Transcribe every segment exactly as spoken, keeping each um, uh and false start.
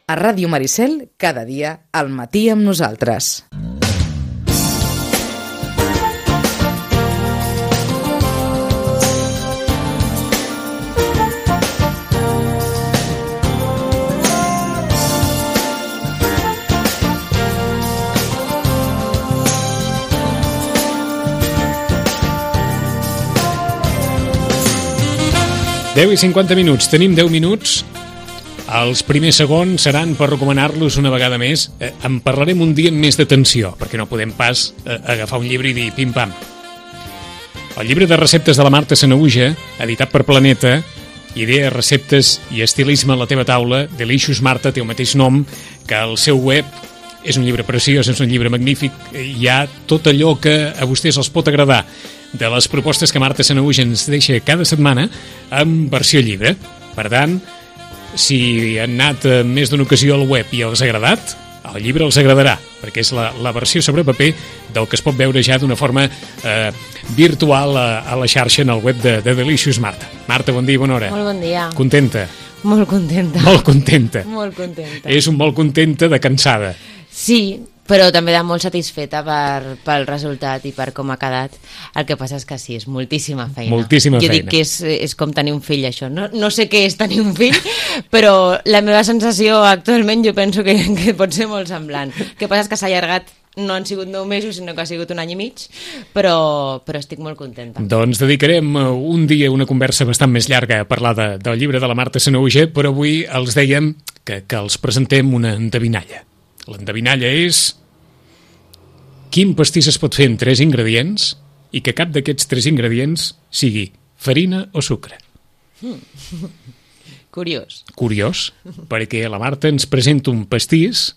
A Ràdio Maricel, cada dia, al matí amb nosaltres. deu i cinquanta minuts. Tenim deu minuts. Els primers segons seran per recomanar-los una vegada més. Eh, en parlarem un dia amb més d'atenció, perquè no podem pas eh, agafar un llibre i dir pim-pam. El llibre de receptes de la Marta Sanahuja, editat per Planeta, Idees, receptes i estilisme a la teva taula, Delicious Marta, té el mateix nom que el seu web. És un llibre preciós, és un llibre magnífic. Hi ha tot allò que a vostès els pot agradar de les propostes que Marta Sanahuja ens deixa cada setmana en versió llibre. Per tant, si han anat més d'una ocasió al web i els ha agradat, el llibre els agradarà, perquè és la, la versió sobre paper del que es pot veure ja d'una forma eh, virtual a, a la xarxa en el web de, de Delicious Marta. Marta, bon dia i bona hora. Molt bon dia. Contenta? Molt contenta. Molt contenta. Molt contenta. És un molt contenta de cansada. Sí, però també de molt satisfeta per, pel resultat i per com ha quedat. El que passa és que sí, és moltíssima feina. Moltíssima jo feina. dic que és, és com tenir un fill, això. No, no sé què és tenir un fill, però la meva sensació actualment jo penso que, que pot ser molt semblant. El que passa és que s'ha allargat, no han sigut nou mesos, sinó que ha sigut un any i mig, però, però estic molt contenta. Doncs dedicarem un dia, una conversa bastant més llarga a parlar de, del llibre de la Marta Sanahuja, però avui els dèiem que, que els presentem una endevinalla. L'endevinalla és quin pastís es pot fer amb tres ingredients i que cap d'aquests tres ingredients sigui farina o sucre. Mm. Curiós. Curiós, perquè la Marta ens presenta un pastís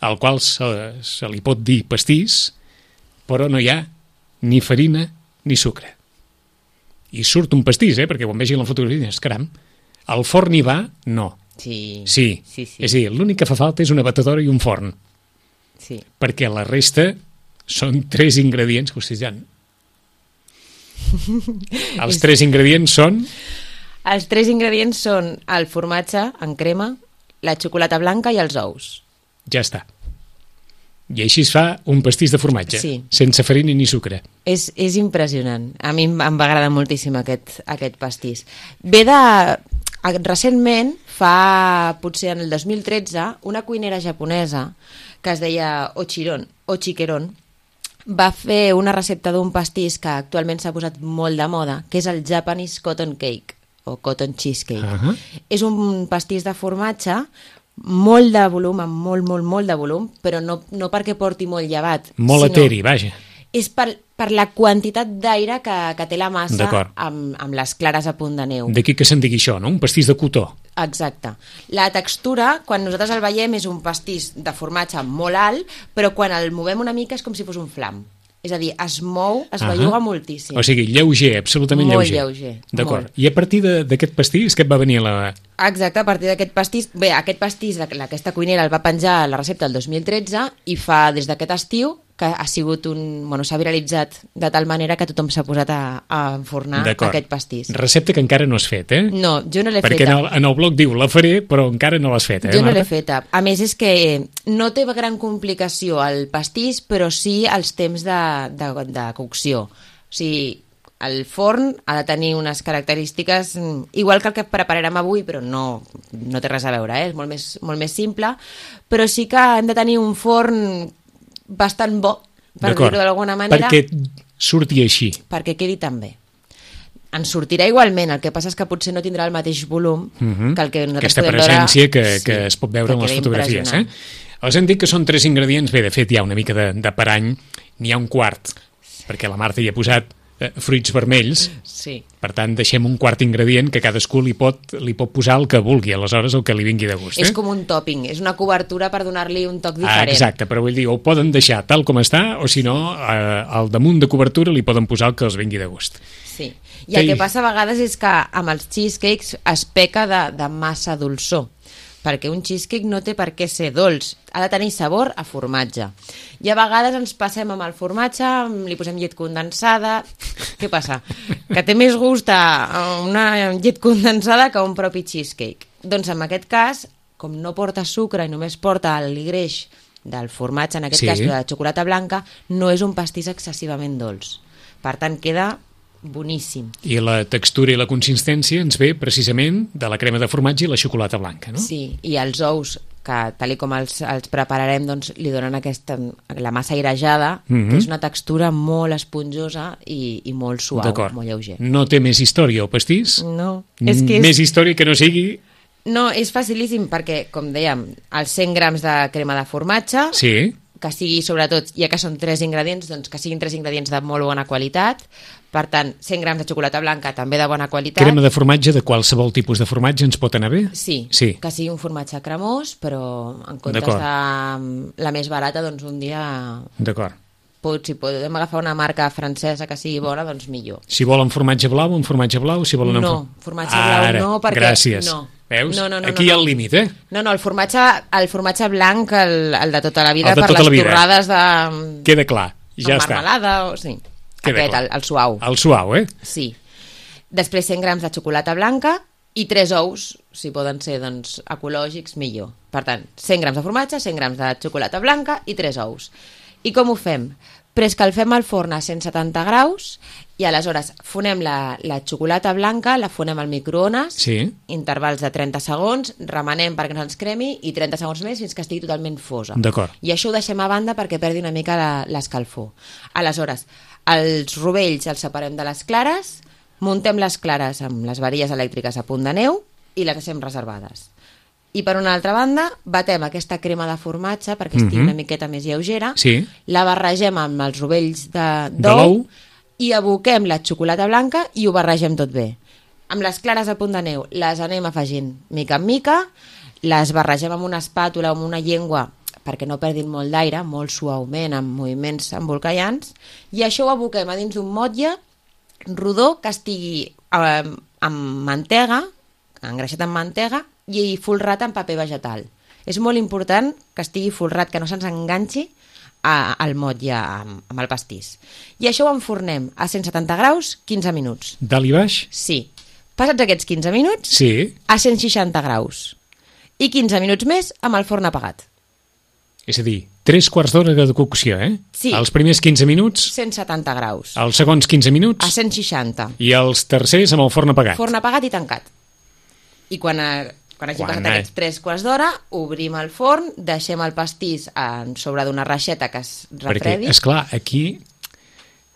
al qual se, se li pot dir pastís, però no hi ha ni farina ni sucre. I surt un pastís, eh? Perquè quan vegi la fotografia dius, caram, al forn hi va? No. Sí. Sí. sí, sí. És a dir, l'únic que fa falta és una batedora i un forn. Sí. Perquè la resta són tres ingredients que vostès ja... Els tres ingredients són... Els tres ingredients són el formatge en crema, la xocolata blanca i els ous. Ja està. I així es fa un pastís de formatge, sí. Sense farina ni sucre. És, és impressionant. A mi em va agradar moltíssim aquest, aquest pastís. Ve de... Recentment, fa potser en el dos mil tretze, una cuinera japonesa que es deia Ochiron, Ochikeron, va fer una recepta d'un pastís que actualment s'ha posat molt de moda, que és el Japanese Cotton Cake, o Cotton Cheesecake. Uh-huh. És un pastís de formatge, molt de volum, amb molt, molt, molt de volum, però no, no perquè porti molt llevat. Molt sinó eteri, vaja. És per, per la quantitat d'aire que, que té la massa amb, amb les clares a punt de neu. D'aquí que se'n digui això, no? Un pastís de cotó. Exacte. La textura, quan nosaltres el veiem, és un pastís de formatge molt alt, però quan el movem una mica és com si fos un flam. És a dir, es mou, es uh-huh. belluga moltíssim. O sigui, lleuger, absolutament molt lleuger. lleuger. D'acord. I a partir d'aquest pastís, què et va venir a la... Exacte, a partir d'aquest pastís... Bé, aquest pastís, aquesta cuinera el va penjar a la recepta el dos mil tretze i fa des d'aquest estiu que ha sigut un... Bueno, s'ha viralitzat de tal manera que tothom s'ha posat a, a enfornar aquest pastís. Recepta que encara no has fet, eh? No, jo no l'he feta. Perquè en el, en el blog diu, la faré, però encara no l'has fet, eh, Jo no Marta? l'he feta. A més, és que no té gran complicació el pastís, però sí els temps de, de, de cocció. O sigui, el forn ha de tenir unes característiques igual que el que prepararem avui, però no, no té res a veure, eh? És molt més, molt més simple, però sí que hem de tenir un forn bastant bo, per dir-ho d'alguna manera. Perquè surti així. Perquè quedi tan bé. En sortirà igualment, el que passa és que potser no tindrà el mateix volum uh-huh. que el que nosaltres Aquesta podem veure. Aquesta presència que, sí, que es pot veure en les fotografies. Eh? Els hem dit que són tres ingredients, bé, de fet hi ha una mica de, de parany, n'hi ha un quart, perquè la Marta hi ha posat eh, fruits vermells, sí. Per tant deixem un quart ingredient que cadascú li pot, li pot posar el que vulgui, aleshores el que li vingui de gust. Eh? És com un topping, és una cobertura per donar-li un toc diferent. Ah, exacte, però vull dir, ho poden deixar tal com està, o si no, eh, al damunt de cobertura li poden posar el que els vingui de gust. Sí, i el que passa a vegades és que amb els cheesecakes es peca de, de massa dolçor, perquè un cheesecake no té per què ser dolç, ha de tenir sabor a formatge. I a vegades ens passem amb el formatge, li posem llet condensada... Què passa? Que té més gust a una llet condensada que un propi cheesecake. Doncs en aquest cas com no porta sucre i només porta el greix del formatge, en aquest Sí. cas de xocolata blanca, no és un pastís excessivament dolç. Per tant, queda boníssim. I la textura i la consistència ens ve precisament de la crema de formatge i la xocolata blanca, no? Sí, i els ous, que tal i com els, els prepararem, doncs, li donen aquesta, la massa airejada, Mhm. que és una textura molt esponjosa i, i molt suau, D'acord. molt lleuger. No té més història el pastís? No, és que és... Més història que no sigui... No, és facilíssim perquè, com dèiem, els cent grams de crema de formatge, Sí, que sigui, sobretot, ja que són tres ingredients, doncs que siguin tres ingredients de molt bona qualitat. Per tant, cent grams de xocolata blanca també de bona qualitat. crema de formatge de qualsevol tipus de formatge ens pot anar bé? Sí, Sí. que sigui un formatge cremós, però en comptes D'acord. de la més barata, doncs un dia... D'acord. Pot, si podem agafar una marca francesa que sigui bona, doncs millor. Si volen formatge blau, un formatge blau, si volen... No, un... formatge blau Ara, no, perquè... gràcies. No. Veus? No, no, no, Aquí no, hi ha no. el límit, eh? No, no, el formatge, el formatge blanc, el, el de tota la vida, El de per tota les la vida. torrades de... Queda clar, ja amb està. marmelada, o... sí. Queda Aquest, clar. el, el suau. El suau, eh? Sí. Després cent grams de xocolata blanca i tres ous, si poden ser doncs, ecològics, millor. Per tant, cent grams de formatge, cent grams de xocolata blanca i tres ous. I com ho fem? Preescalfem el forn a cent setanta graus i aleshores fonem la, la xocolata blanca, la fonem al microones, Sí. intervals de trenta segons, remenem perquè no ens cremi i trenta segons més fins que estigui totalment fosa. D'acord. I això ho deixem a banda perquè perdi una mica la- l'escalfor. Aleshores, els rovells els separem de les clares, muntem les clares amb les varilles elèctriques a punt de neu i les deixem reservades. I per una altra banda, batem aquesta crema de formatge perquè estigui Mhm. una miqueta més lleugera, Sí. la barregem amb els rovells de- De l'ou. d'ou i aboquem la xocolata blanca i ho barregem tot bé. Amb les clares a punt de neu les anem afegint mica en mica, les barregem amb una espàtula o amb una llengua perquè no perdin molt d'aire, molt suaument, amb moviments embolcallants, i això ho aboquem a dins d'un motlle rodó que estigui eh, amb mantega, engreixat amb mantega, i folrat en paper vegetal. És molt important que estigui folrat, que no se'ns enganxi a, al motlle amb, amb el pastís. I això ho enfornem a cent setanta graus quinze minuts. Dalt i baix? Sí. Passats aquests quinze minuts, Sí. a cent seixanta graus. I quinze minuts més amb el forn apagat. És a dir, tres quarts d'hora de cocció, eh? Sí. Els primers quinze minuts, cent setanta graus. els segons quinze minuts A cent seixanta. i els tercers amb el forn apagat. Forn apagat i tancat. I quan, eh, quan hagi Quan, passat eh? aquests tres quarts d'hora, obrim el forn, deixem el pastís en sobre d'una reixeta que es Perquè, refredi. és clar, aquí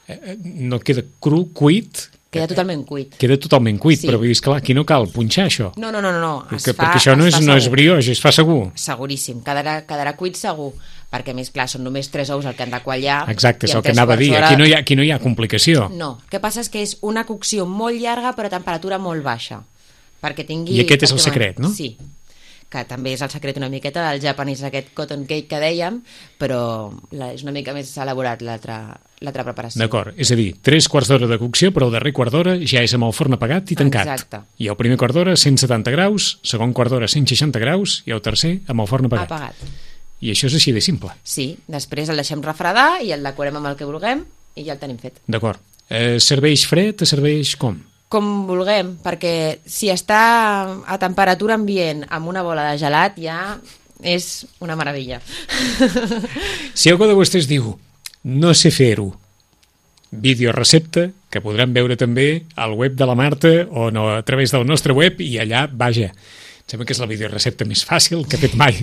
eh, no queda cru, cuit, Queda totalment cuit. queda totalment cuit, Sí. però vull dir, esclar, aquí no cal punxar això. No, no, no, no, no. Es que, fa, perquè això no es és, fa no és segur. brioix, es fa segur. Seguríssim, quedarà, quedarà cuit segur, perquè a més, clar, són només tres ous el que han de quallar. Exacte, és i en el que tres anava a quarts dir. d'hora- Aquí no, hi ha, aquí no hi ha complicació. No, el que passa és que és una cocció molt llarga però a temperatura molt baixa, perquè tingui... I aquest és el perquè- secret, no? Sí, que també és el secret una miqueta del japonès, aquest cotton cake que dèiem, però la, és una mica més elaborat l'altra l'altra preparació. D'acord, és a dir, tres quarts d'hora de cocció, però el darrer quart d'hora ja és amb el forn apagat i tancat. Exacte. I el primer quart d'hora cent setanta graus, segon quart d'hora cent seixanta graus i el tercer amb el forn apagat. Apagat. I això és així de simple. Sí, després el deixem refredar i el decorem amb el que vulguem i ja el tenim fet. D'acord. Eh, serveix fred, serveix com? Com vulguem, perquè si està a temperatura ambient amb una bola de gelat ja és una meravella. Si algú de vostès diu no sé fer-ho, videorecepta, que podran veure també al web de la Marta o no, a través del nostre web, i allà, vaja, em sembla que és la videorecepta més fàcil que he fet mai.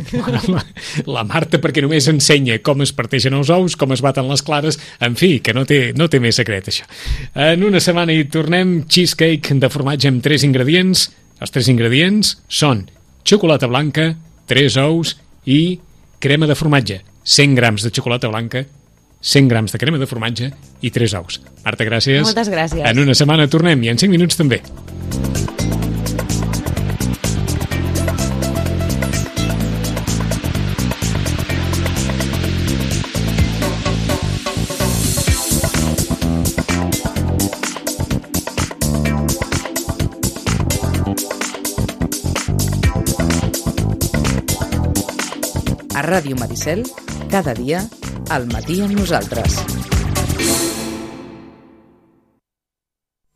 La, la Marta, perquè només ensenya com es parteixen els ous, com es baten les clares, en fi, que no té, no té més secret, això. En una setmana hi tornem, cheesecake de formatge amb tres ingredients. Els tres ingredients són xocolata blanca, tres ous i crema de formatge. cent grams de xocolata blanca, cent grams de crema de formatge i tres ous. Marta, gràcies. Moltes gràcies. En una setmana tornem i en cinc minuts també. A Ràdio Maricel, cada dia, al matí amb nosaltres.